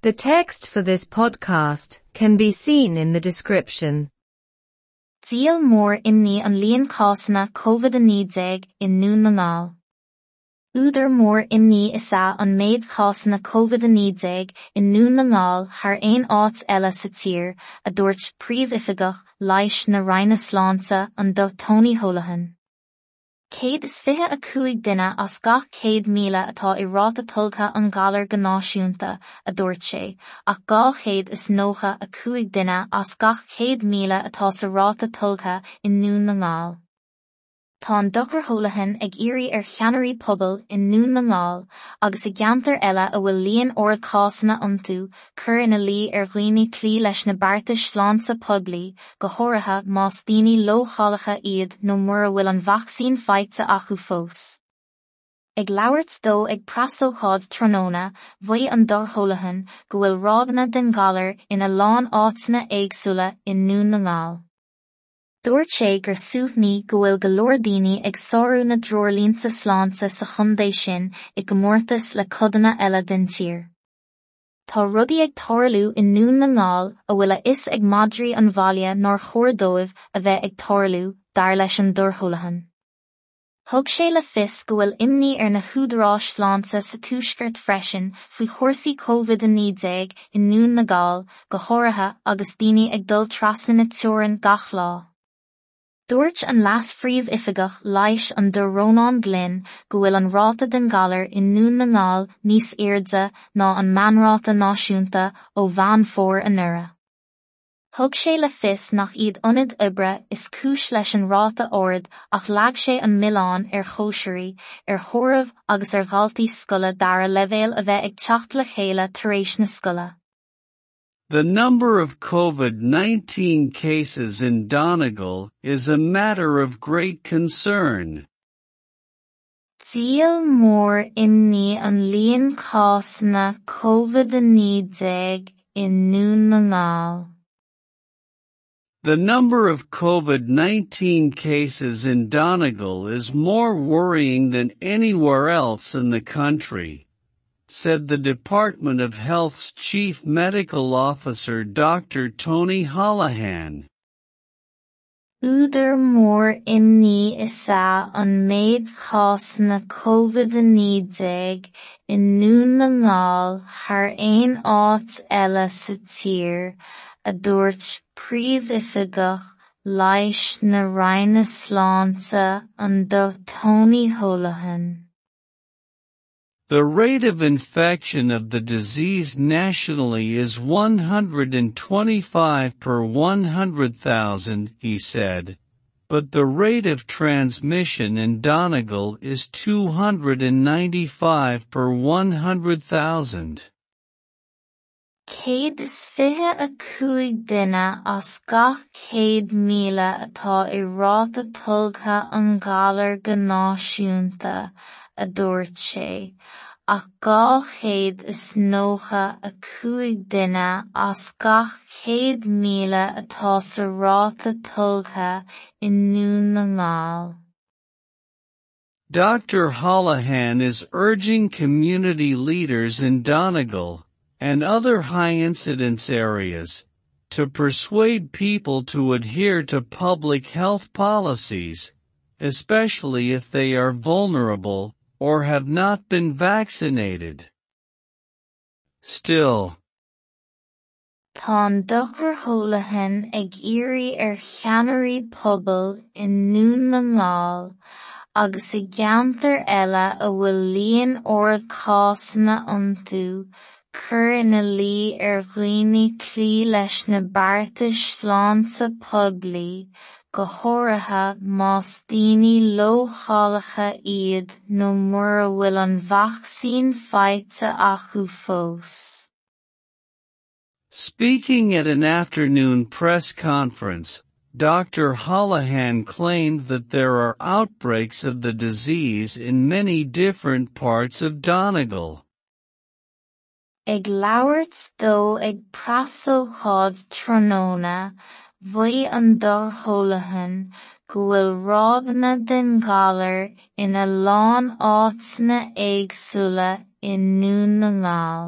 The text for this podcast can be seen in the description. Díol mór imní an líon cásanna Covid-19 i nDún na nGall. Údar mór imní is ea an méid cásanna Covid-19 i nDún na nGall thar aon áit eile sa tír, a dúirt Príomhoifigeach Leighis na Roinne Sláinte an Dr Tony Holohan. 125 duine as gach 100,000 atá i ráta tolgtha an ghalair go náisiúnta, a dúirt sé, ach 295 duine as gach 100,000 atá sa ráta tolgtha i nDún na nGall. Tá an Dr Holohan ag iarraidh ar cheannairí pobail i nDún na nGall agus i gceantair eile a bhfuil líon ard cásanna iontu cur ina luí ar dhaoine cloí leis na beartais sláinte poiblí, go háirithe más daoine leochaileacha iad nó mura bhfuil an vacsaín faighte acu fós. Ag labhairt dó ag preasócáid tráthnóna, mhaígh an Dr Holohan go bhfuil ráigeanna den ghalar ina lán áiteanna éagsúla i nDún na nGall. Dúirt sé gur suaimhní go bhfuil go leor daoine ag sárú na dtreoirlínte sláinte sa chontae sin i gcomórtas le codanna eile den tír. Tá rudaí ag tarlú i nDún na nGall a bhfuil a fhios ag madraí an bhaile nár chóir dóibh a bheith ag tarlú, dar leis an Dr Holohan. Thug sé le fios go bhfuil imní ar na húdaráis sláinte sa Tuaisceart freisin faoi chúrsaí Covid-19 i nDún na nGall, go háirithe agus daoine ag dul trasna na teorann gach lá. Dúirt an Leas-Phríomhoifigeach Leighis an Dr Rónán Glynn go bhfuil an ráta den ghalar i nDún na nGall níos airde ná an meánráta náisiúnta ó Mheán Fómhair anuraidh. Thug sé le fios nach iad ionaid oibre is cúis leis an ráta ard ach leag sé an milleán ar chóisirí, ar thórraimh agus ar dhaltaí scoile dara leibhéal a bheith ag teacht le chéile tar éis na scoile. The number of COVID-19 cases in Donegal is a matter of great concern. Díol mór imní an líon cásanna Covid-19 i nDún na nGall. The number of COVID-19 cases in Donegal is more worrying than anywhere else in the country, said the Department of Health's Chief Medical Officer Dr. Tony Holohan. Údar mór imní is ea an méid cásanna Covid-19 i nDún na nGall thar aon áit eile sa tír, a dúirt Príomhoifigeach Leighis na Roinne Sláinte an Dr Tony Holohan. The rate of infection of the disease nationally is 125 per 100,000, he said, but the rate of transmission in Donegal is 295 per 100,000. 125 duine as gach 100,000 atá i ráta tolgtha an ghalair go náisiúnta, a dúirt sé, ach 295 duine as gach 100,000 atá sa ráta tolgtha i nDún na nGall. Dr. Holohan is urging community leaders in Donegal and other high-incidence areas to persuade people to adhere to public health policies, especially if they are vulnerable or have not been vaccinated. Still, Tá an Dr Holohan ag iarraidh ar cheannairí pobail i nDún na nGall agus i gceantair eile a bhfuil líon ard cásanna iontu cur ina luí ar dhaoine cloí leis na beartais sláinte poiblí, go háirithe más daoine leochaileacha iad nó mura bhfuil an vacsaín faighte acu fós. Speaking at an afternoon press conference, Dr. Holohan claimed that there are outbreaks of the disease in many different parts of Donegal. Ag labhairt dó ag preasócáid tráthnóna, mhaígh an Dr Holohan go bhfuil ráigeanna den ghalar ina lán áiteanna éagsúla i nDún na nGall.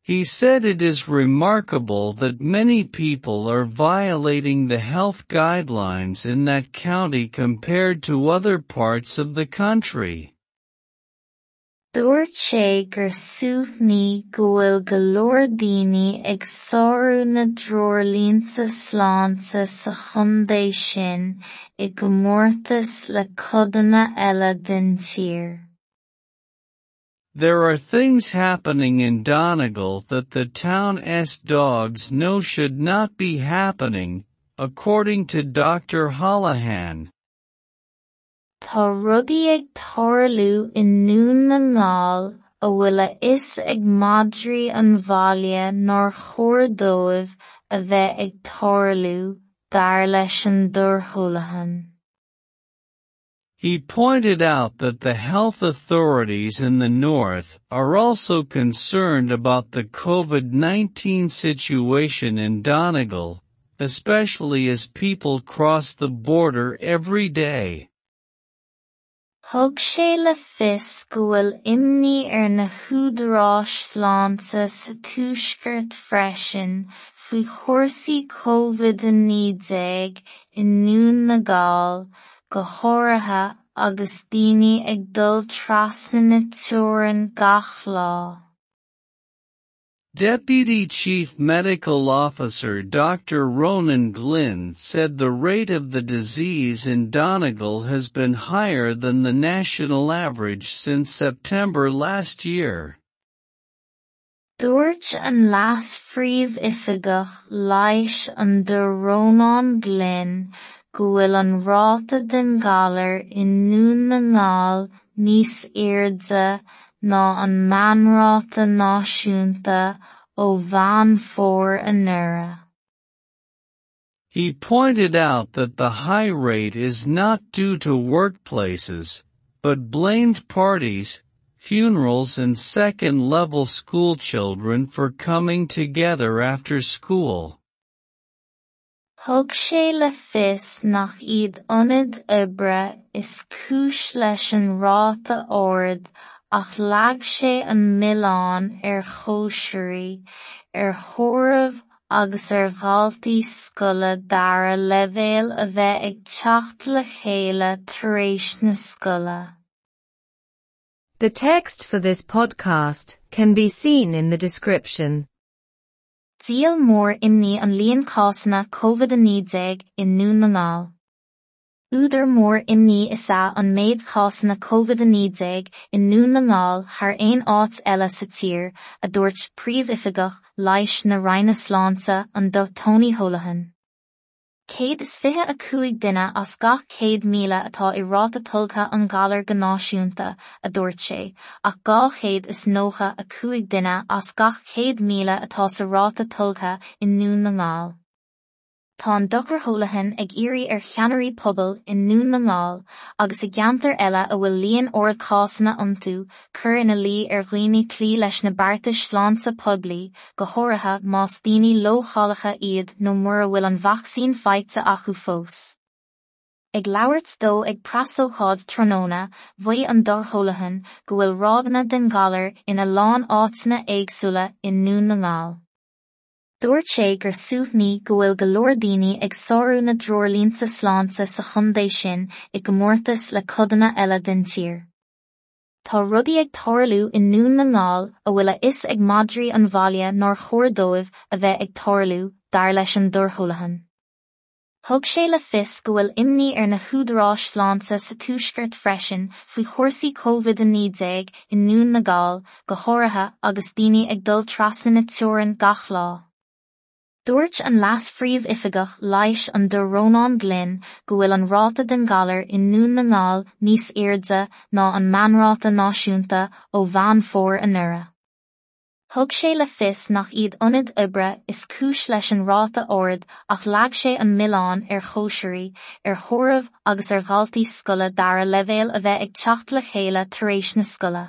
He said it is remarkable that many people are violating the health guidelines in that county compared to other parts of the country. Dúirt sé gur suaimhní go bhfuil go leor daoine ag sárú na dtreoirlínte sláinte sa chontae sin i gcomórtas le codanna eile den tír. There are things happening in Donegal that the town's dogs know should not be happening, according to Dr. Holohan. Tá rudaí ag tarlú i nDún na nGall a bhfuil a fhios ag madraí an bhaile nár chóir dóibh a bheith ag tarlú, dar leis an Dr Holohan. He pointed out that the health authorities in the north are also concerned about the COVID-19 situation in Donegal, especially as people cross the border every day. Thug sé le fios go bhfuil imní ar na húdaráis sláinte sa tuaisceart freisin faoi chúrsaí COVID-19 i nDún na nGall, go háirithe agus daoine ag dul trasna na teorann gach lá. Deputy Chief Medical Officer Dr. Ronan Glynn said the rate of the disease in Donegal has been higher than the national average since September last year. Dúirt an leas-phríomhoifigeach leighis an Dr Rónán Glynn go bhfuil an ráta den ghalar i nDún na nGall níos airde ná an meánráta náisiúnta ó Mheán Fómhair anuraidh. He pointed out that the high rate is not due to workplaces, but blamed parties, funerals and second-level schoolchildren for coming together after school. Thug sé le fios nach iad ionaid oibre is cúis leis an ráta ard ach leag sé an milleán ar chóisirí, ar thórraimh agus ar dhaltaí scoile dara leibhéal a bheith ag teacht le chéile tar éis na scoile. The text for this podcast can be seen in the description. Díol mór imní an líon cásanna COVID-19 i nDún na nGall. Údar mór imní is ea an méid cásanna COVID-19 i nDún na nGall thar aon áit eile sa tír, a dúirt príomhoifigeach leighis na Roinne Sláinte an Dr Tony Holohan. 125 duine as gach 100,000 atá i ráta tolgtha an ghalair go náisiúnta, a dúirt sé, ach 295 duine as gach 100,000 atá sa ráta tolgtha i nDún na nGall. Tá an Dr Holohan ag iarraidh ar cheannairí pobail i nDún na nGall agus i gceantair eile a bhfuil líon ard cásanna iontu cur ina luí ar dhaoine cloí leis na beartais sláinte poiblí, go háirithe más daoine leochaileacha iad nó mura bhfuil an vacsaín faighte acu fós. Ag labhairt dó ag preasócáid tráthnóna, mhaígh an Dr Holohan go bhfuil ráigeanna den ghalar ina lán áiteanna éagsúla i nDún na nGall. Dúirt sé gur suaimhní go bhfuil go leor daoine ag sárú na dtreoirlínte sláinte sa chontae sin i gcomórtas le codanna eile den tír. Tá rudaí ag tarlú i nDún na nGall a bhfuil a fhios ag madraí an bhaile nár chóir dóibh a bheith ag tarlú, dar leis an Dr Holohan. Thug sé le fios go bhfuil imní ar na húdaráis sláinte sa tuaisceart freisin faoi chúrsaí COVID-19 i nDún na nGall, go háirithe agus daoine ag dul trasna na teorann gach lá. Dúirt an leas-phríomhoifigeach leighis an Dr Rónán Glynn go bhfuil an ráta den ghalar i nDún na nGall níos airde ná an meánráta náisiúnta ó Mheán Fómhair anuraidh. Thug sé le fios nach iad ionaid oibre is cúis leis an ráta ard ach leag sé an milleán ar chóisirí, ar thórraimh agus ar dhaltaí scoile dara leibhéal a bheith ag teacht le chéile tar éis na scoile.